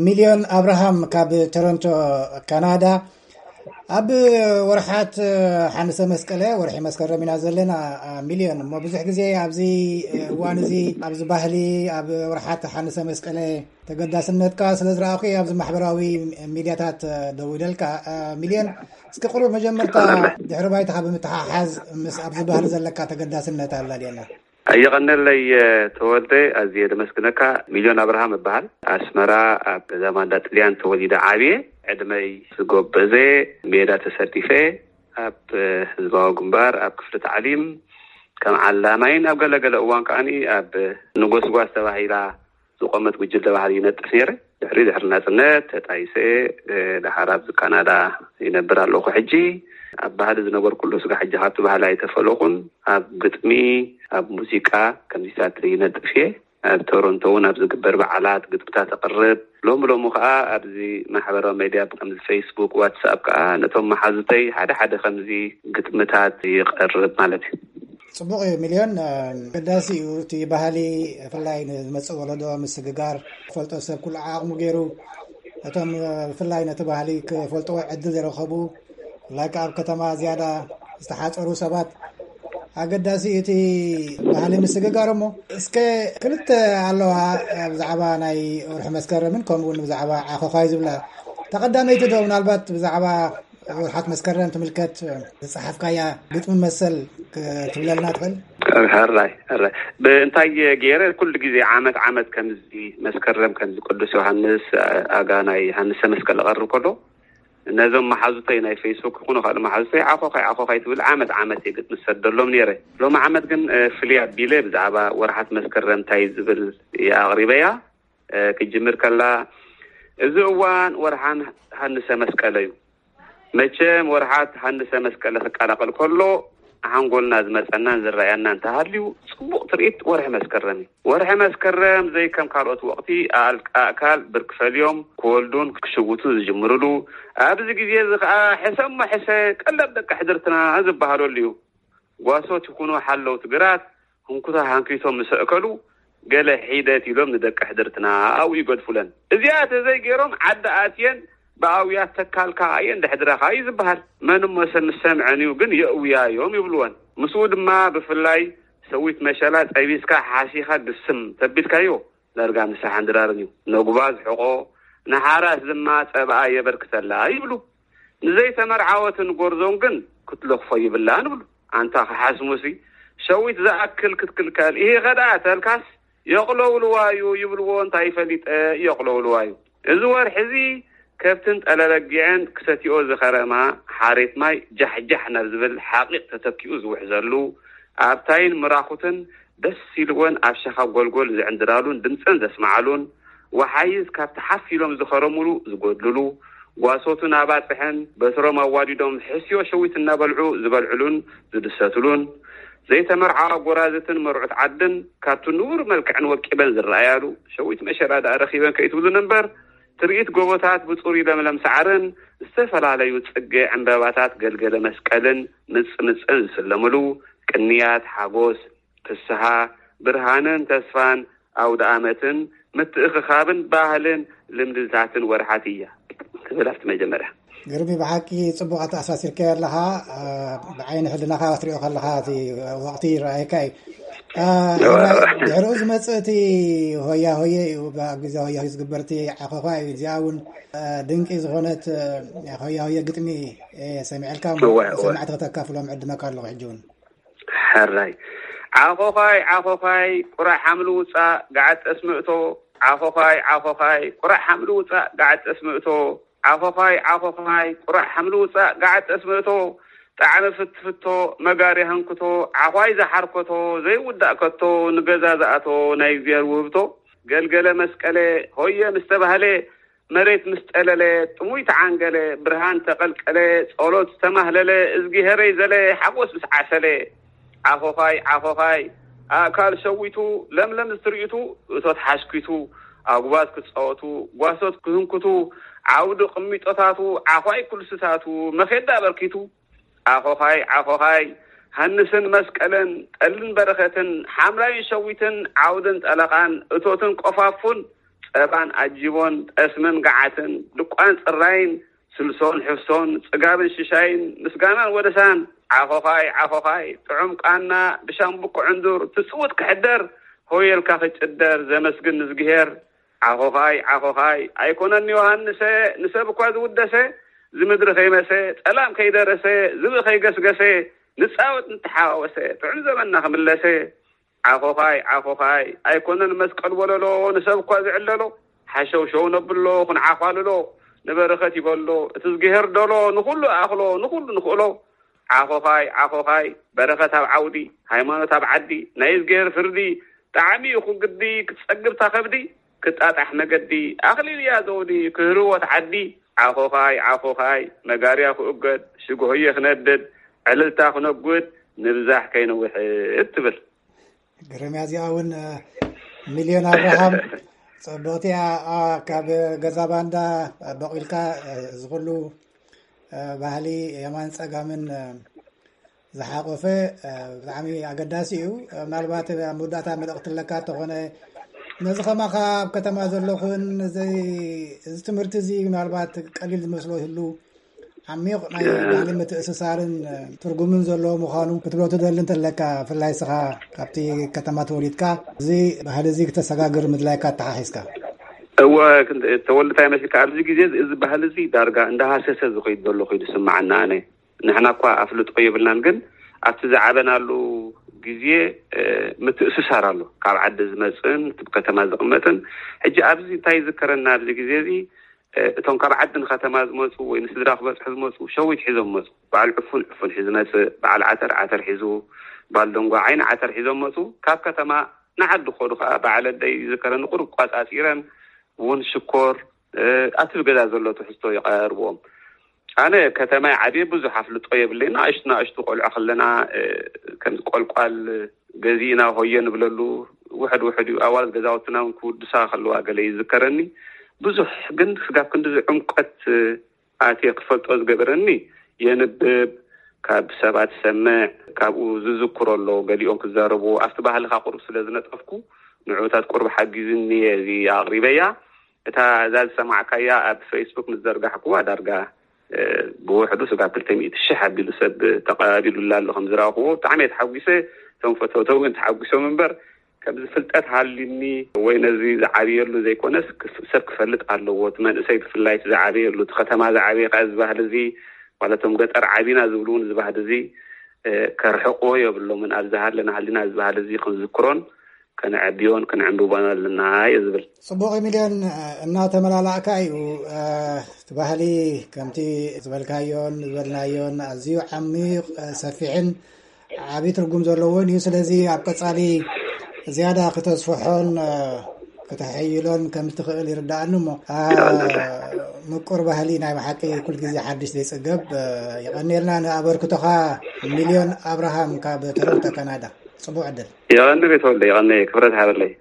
ሚልዮን ኣብርሃም ካብ ቶሮንቶ ካናዳ። ኣብ ወርሓት ሓንሰ መስቀለ፣ ወርሒ መስከረም ኢና ዘለና። ሚልዮን፣ እሞ ብዙሕ ግዜ ኣብዚ እዋን እዚ ኣብዚ ባህሊ፣ ኣብ ወርሓት ሓንሰ መስቀለ ተገዳስነትካ ስለ ዝረኣኹ ኣብዚ ማሕበራዊ ሚድያታት ደዊለልካ። ሚልዮን፣ እስኪ ቁሩብ መጀመርታ ድሕሪ ባይታኻ ብምትሓሓዝ ምስ ኣብዚ ባህሊ ዘለካ ተገዳስነት ኣላልየና። ኣየቐነለይ ተወልደ፣ ኣዝየ ደመስግነካ። ሚልዮን ኣብርሃም እበሃል። ኣስመራ ኣብ ገዛ ማንዳ ጥልያን ተወሊደ ዓብየ። ዕድመይ ዝጎበዘ ሜዳ ተሰዲፈ ኣብ ህዝባዊ ግንባር ኣብ ክፍሊ ታዕሊም ከም ዓላማይን ኣብ ገለገለ እዋን ከዓኒ ኣብ ንጎስጓስ ተባሂላ ዝቆመት ጉጅለ ባህሊ ይነጥፍ ነይረ። ድሕሪ ድሕሪ ናጽነት ተጣይሰ፣ እ፣ ደሓር ኣብዚ ካናዳ ይነብር ኣለኹ። ሕጂ ኣብ ባህሊ ዝነበርኩሉ ስጋ ሕጂ ካብቲ ባህሊ ኣይተፈለኹን። ኣብ ግጥሚ፣ ኣብ ሙዚቃ ከምዚታት ይነጥፍ እየ። ኣብ ቶሮንቶ እውን ኣብ ዝግበር በዓላት ግጥምታት እቕርብ። ሎሚ ሎሚ ከኣ ኣብዚ ማሕበራዊ ሜድያ ከምዚ ፌስቡክ፣ ዋትስኣፕ ከኣ ነቶም መሓዙተይ ሓደ ሓደ ከምዚ ግጥምታት ይቐርብ ማለት እዩ። ጽቡቕ እዩ ሚልዮን። ኣገዳሲ እዩ እቲ ባህሊ፣ ብፍላይ ንዝመጽእ ወለዶ ምስግጋር፣ ክፈልጦ ሰብ ኩሉ ዓቕሙ ገይሩ፣ እቶም ብፍላይ ነቲ ባህሊ ክፈልጥዎ ዕድል ዝረኸቡ፣ ብፍላይ ከኣ ኣብ ከተማ ዝያዳ ዝተሓጸሩ ሰባት፣ ኣገዳሲ እዩ እቲ ባህሊ ምስግጋር። እሞ እስከ ክልተ ኣለዋ ብዛዕባ ናይ ወርሒ መስከረምን ከምኡ እውን ብዛዕባ ዓኾዃይ ዝብላ። ተቐዳመይቲ ዶ ምናልባት ብዛዕባ ወርሓት መስከረም ትምልከት ዝጸሓፍካያ ግጥሚ መሰል ክትብለልና ትኽእል? ሕራይ፣ ሕራይ። ብእንታይ ገይረ ኩሉ ግዜ ዓመት ዓመት ከምዚ መስከረም ከምዚ ቅዱስ ዮሃንስ ኣጋ ናይ ሃንሰ መስቀል እቐርብ ከሎ ነዞም መሓዙተይ ናይ ፌስቡክ ይኹኑ ካልእ መሓዙተይ ዓኾኻይ ዓኾኻይ ትብል ዓመት ዓመት እየ ግጥሚ ዝሰደሎም ነይረ። ሎሚ ዓመት ግን፣ እ፣ ፍልይ ኣቢለ ብዛዕባ ወርሓት መስከረም እንታይ ዝብል እየ ኣቕሪበያ። እ፣ ክጅምር ከላ እዚ እዋን ወርሓን ሃንሰ መስቀለ እዩ። መቸም ወርሓት ሃንሰ መስቀለ ክቀላቐል ከሎ ሓንጎልና ዝመጸናን ዝረኣየና እንተሃልዩ ጽቡቕ ትርኢት ወርሒ መስከረም እዩ። ወርሒ መስከረም ዘይከም ካልኦት ወቕቲ ኣል-፣ ኣእካል ብርኪ ፈልዮም ክወልዱን ክሽውቱን ዝጅምርሉ፣ ኣብዚ ግዜ እዚ ኸኣ ሕሰሞ ሕሰ ቀለብ ደቂ ሕድርትና ዝበሃለሉ እዩ። ጓሶት ይኹኑ ሓለውቲ ግራት ህንኩታ ሃንኪቶም ምስ ኣእከሉ ገለ ሒደት ኢሎም ንደቂ ሕድርትና ኣብኡ ይገድፉለን። እዚኣ ተዘይገይሮም ዓዲ ኣትየን ብኣውያት ተካልካ እየን ደሕድረኻ እዩ ዝበሃል። መን እሞ ሰብ ምስ ሰምዐን እዩ ግን የእውያ እዮም ይብልወን። ምስኡ ድማ ብፍላይ ሰዊት መሸላ ጠቢስካ ሓሲኻ ግስም ተቢልካዮ ዳርጋ ንስሓን ድራርን እዩ። ነጉባ ዝሕቆ ንሓራስ ድማ ጸብኣ የበርክተላ ይብሉ። ንዘይተመርዓወትን ጎርዞን ግን ክትለኽፎ ይብላን ይብሉ። ኣንታ ክሓስሙሲ ሸዊት ዝኣክል ክትክልከል ኢሂ ከደኣ ተልካስ የቕለውልዋ እዩ ይብልዎ። እንታይ ፈሊጠ የቕለውልዋ እዩ። እዚ ወርሒ እዚ ከብትን ጠለበጊዕን ክሰትዮ ዝኸረማ ሓሬት ማይ ጃሕጃሕ ናብ ዝብል ሓቒቕ ተተኪኡ ዝውሕዘሉ፣ ኣብታይን ምራኹትን ደስ ኢልወን ኣብ ሸኻ ጎልጎል ዝዕንድራሉን ድምፀን ዘስምዓሉን፣ ወሓይዝ ካብቲ ሓፍ ኢሎም ዝኸረሙሉ ዝጎድልሉ፣ ጓሶቱ ናባፅሐን በትሮም ኣዋዲዶም ሕስዮ ሸዊት እናበልዑ ዝበልዕሉን ዝድሰትሉን፣ ዘይተመርዓዋ ጎራዝትን መርዑት ዓድን ካብቲ ንቡር መልክዐን ወቂበን ዝረኣያሉ፣ ሸዊት መሸላ ደኣ ረኺበን ከይትብሉን እምበር፣ ትርኢት ጎቦታት ብጽሩይ ለምለም ሳዕርን ዝተፈላለዩ ጽጌ ዕምበባታት ገልገለ መስቀልን ምጽምጽን ዝስለምሉ፣ ቅንያት፣ ሓጎስ፣ ፍስሃ፣ ብርሃንን ተስፋን፣ ኣውደ ኣመትን ምትእኽኻብን ባህልን ልምድታትን ወርሓት እያ ትብል ኣብቲ መጀመርያ። ግርሚ፣ ብሓቂ ጽቡቕ ኣተኣሳሲርካዮ ኣለኻ። እ፣ ብዓይኒ ሕልናኻ ክትሪኦ ከለኻ እቲ ወቕቲ ይረኣየካ እዩ። እ፣ ሕራይ፣ ድሕሪኡ ዝመጽእ እቲ ሆያ ሆየ እዩ። ኣብ ግዜ ሆያ ሆየ ዝግበር እቲ ዓኾዃ እዩ። እዚኣ እውን፣ እ፣ ድንቂ ዝኾነት፣ እ፣ ሆያ ሆየ ግጥሚ፣ እ፣ ሰሚዐልካ እሞ እወ፣ እወ። ሰማዕቲ ከተካፍሎም ዕድመካ ኣለኹ ሕጂ እውን። ሕራይ። ዓኾዃይ፣ ዓኾዃይ፣ ቁራዕ ሓምሊ ውጻእ፣ ገዓት ጠስሚ እቶ። ዓኾዃይ፣ ዓኾዃይ፣ ቁራዕ ሓምሊ ውጻእ፣ ገዓት ጠስሚ እቶ። ዓኾዃይ፣ ዓኾዃይ፣ ቁራዕ ሓምሊ ውጻእ፣ ገዓት ጠስሚ እቶ። ጣዕሚ ፍትፍቶ፣ መጋሪ ሃንክቶ፣ ዓዃይ ዝሓርኮቶ፣ ዘይውዳእ ከቶ፣ ንገዛ ዝኣቶ፣ ናይ እግዚኣብሔር ውህብቶ። ገልገለ መስቀለ፣ ሆየ ምስ ተባህለ፣ መሬት ምስ ጠለለ፣ ጥሙይ ተዓንገለ፣ ብርሃን ተቐልቀለ፣ ጸሎት ዝተማህለለ፣ እዝጊሄረይ ዘለ፣ ሓጎስ ምስ ዓሰለ። ዓኾዃይ፣ ዓኾዃይ፣ ኣእካል ሸዊቱ፣ ለምለም ዝትርኢቱ፣ እቶት ሓሽኪቱ፣ ኣጉባዝ ክጻወቱ፣ ጓሶት ክህንኩቱ፣ ዓውዲ ቅሚጦታቱ፣ ዓዃይ ኩልስታቱ፣ መኼዳ ኣበርኪቱ። ዓኾዃይ፣ ዓኾዃይ፣ ሃንስን መስቀልን፣ ጠልን በረኸትን፣ ሓምላይን ሸዊትን፣ ዓውድን ጠለቓን፣ እቶትን ቆፋፉን፣ ጸባን ኣጅቦን፣ ጠስምን ገዓትን፣ ድቋን ጽራይን፣ ስልሶን ሕፍሶን፣ ጽጋብን ሽሻይን፣ ምስጋናን ወደሳን፣ ዓኾኻይ ዓኾኻይ፣ ጥዑም ቃና፣ ብሻምብቆ ዕንዱር፣ ትጽውት ክሕደር፣ ሆየልካ ክጭደር፣ ዘመስግን ንዝግሄር፣ ዓኾኻይ ዓኾኻይ፣ ኣይኮነን ዮሃንሰ፣ ንሰብ እኳ ዝውደሰ፣ ዝምድሪ ከይመሰ፣ ጸላም ከይደረሰ፣ ዝብኢ ከይገስገሰ፣ ንጻወት ንተሓዋወሰ፣ ጥዑም ዘመንና ክምለሰ። ዓኾኻይ ዓኾኻይ፣ ኣይኮነን መስቀል ወለሎ፣ ንሰብ እኳ ዝዕለሎ፣ ሓሸውሸው ነብሎ ክንዓዃልሎ፣ ንበረኸት ይበሎ፣ እቲ ዝግሄር ደሎ፣ ንኹሉ ኣኽሎ፣ ንኹሉ ንኽእሎ። ዓኾኻይ ዓኾኻይ፣ በረኸት ኣብ ዓውዲ፣ ሃይማኖት ኣብ ዓዲ፣ ናይ እዝግሄር ፍርዲ፣ ጣዕሚ ይኹን ግዲ፣ ክትጸግብታ ከብዲ፣ ክጣጣሕ መገዲ፣ ኣኽሊል እያ ዘውዲ፣ ክህርወት ዓዲ። ዓኾኻይ ዓኾኻይ፣ መጋርያ ክእገድ፣ ሽግሆየ ክነድድ፣ ዕልልታ ክነጉድ፣ ንብዛሕ ከይንውሕድ ትብል። ግርም እያ እዚኣ እውን። ሚልዮን ኣብርሃም፣ ጽብቕቲ እያ። ካብ ገዛ ባንዳ በቂልካ፣ እዚ ኩሉ ባህሊ የማን ጸጋምን ዝሓቆፈ ብጣዕሚ ኣገዳሲ እዩ። ምናልባት ኣብ መወዳእታ መልእኽቲ ኣለካ እንተኾነ፣ ነዚ ከማኻ ኣብ ከተማ ዘለኹን፣ እዚ ትምህርቲ እዚ ምናልባት ቀሊል ዝመስሎ ይህሉ፣ ዓሚቕ ናይ ባህሊ ምትእስሳርን ትርጉምን ዘለዎ ምዃኑ ክትብሎ ትደሊ እንተለካ፣ ብፍላይ ንስኻ ካብቲ ከተማ ተወሊድካ፣ እዚ ባህሊ እዚ ክተሰጋግር ምድላይካ ኣተሓሒዝካ። እወ፣ ተወልድካ ይመስልካ፣ ኣብዚ ግዜ እዚ ባህሊ እዚ ዳርጋ እንዳሃሰሰ ዝኸይድ ዘሎ ኮይኑ ዝስምዓና። ኣነ፣ ንሕና እኳ ኣፍልጦ የብልናን፣ ግን ኣብቲ ዝዓበናሉ ግዜ ምትእስሳር ኣሎ፣ ካብ ዓዲ ዝመፅእን እቲ ከተማ ዝቕመጥን። ሕጂ ኣብዚ እንታይ ይዝከረና ኣብዚ ግዜ እዚ፣ እቶም ካብ ዓዲ ንከተማ ዝመፁ ወይ ንስድራ ክበፅሑ ዝመፁ፣ ሸዊት ሒዞም መፁ። በዓል ዕፉን ዕፉን ሒዙ መፅእ፣ በዓል ዓተር ዓተር ሒዙ፣ በዓል ደንጓ ዓይኒ ዓተር ሒዞም መፁ። ካብ ከተማ ንዓዲ ክኸዱ ከዓ፣ በዓል ኣደይ ይዝከረኒ፣ ቁሩብ ቋፃፂረን እውን ሽኮር ኣብቲ ገዛ ዘሎ ትሕዝቶ ይቐርብዎም። ኣነ ከተማይ ዓብየ ብዙሕ ኣፍልጦ የብለይ። ንኣሽቱ ንኣሽቱ ቆልዑ ከለና፣ ከም ቆልቋል ገዚእና ሆየ ንብለሉ፣ ውሕድ ውሕድ እዩ። ኣዋልድ ገዛውትና እውን ክውድሳ ከለዋ ገለ ይዝከረኒ። ብዙሕ ግን ስጋብ ክንድዚ ዕምቆት ኣትየ ክፈልጦ ዝገበረኒ፣ የንብብ፣ ካብ ሰባት ሰምዕ፣ ካብኡ ዝዝክሮ ኣሎ፣ ገሊኦም ክዛረቡ፣ ኣብቲ ባህልኻ ቁሩብ ስለ ዝነጠፍኩ፣ ንዑታት ቁሩብ ሓጊዝኒ እየ እዚ ኣቕሪበያ። እታ እዛ ዝሰማዕካያ ኣብ ፌስቡክ ምስ ዘርጋሕኩዋ፣ ዳርጋ ብውሕዱ ስጋብ ክልተ ሚእቲ ሽሕ ኣቢሉ ሰብ ተቐባቢሉላ ኣሎ ከም ዝረኣኹዎ። ብጣዕሚ እየ ተሓጒሰ። እቶም ፈተውተው እውን ተሓጒሶም እምበር፣ ከምዚ ፍልጠት ሃልዩኒ ወይ ነዚ ዝዓብየሉ ዘይኮነስ፣ ክፍ-፣ ሰብ ክፈልጥ ኣለዎ። እቲ መንእሰይ ብፍላይ እቲ ዝዓበየሉ፣ እቲ ከተማ ዝዓበየ ከኣ፣ እዚ ባህሊ እዚ፣ ማለት እቶም ገጠር ዓቢና ዝብሉ እውን፣ እዚ ባህሊ እዚ፣ እ፣ ከርሕቕዎ የብሎምን። ኣብ ዝሃለና ሃሊና እዚ ባህሊ እዚ ክንዝክሮን ከነዕብዮን ከነዕንብቦን ኣለና እየ ዝብል። ጽቡቕ ሚልዮን፣ እናተመላላእካ እዩ። እ፣ እቲ ባህሊ ከምቲ ዝበልካዮን ዝበልናዮን ኣዝዩ ዓሚቕ፣ እ፣ ሰፊሕን ዓቢ ትርጉም ዘለዎን እዩ። ስለዚ ኣብ ቀጻሊ ዝያዳ ክተስፍሖን፣ እ፣ ክተሐይሎን ከም ትኽእል ይርዳኣኒ እሞ፣ እ፣ ምቁር ባህሊ ናይ ብሓቂ ኩል ግዜ ሓድሽ ዘይጽገብ። እ፣ የቐንየልና ንኣበርክቶኻ። ሚልዮን ኣብርሃም ካብ ቶሮንቶ ካናዳ። ጽቡቕ ዕድል። የቐንየ ቤተወልደ፣ የቐንየ፣ ክብረት ሃበለይ።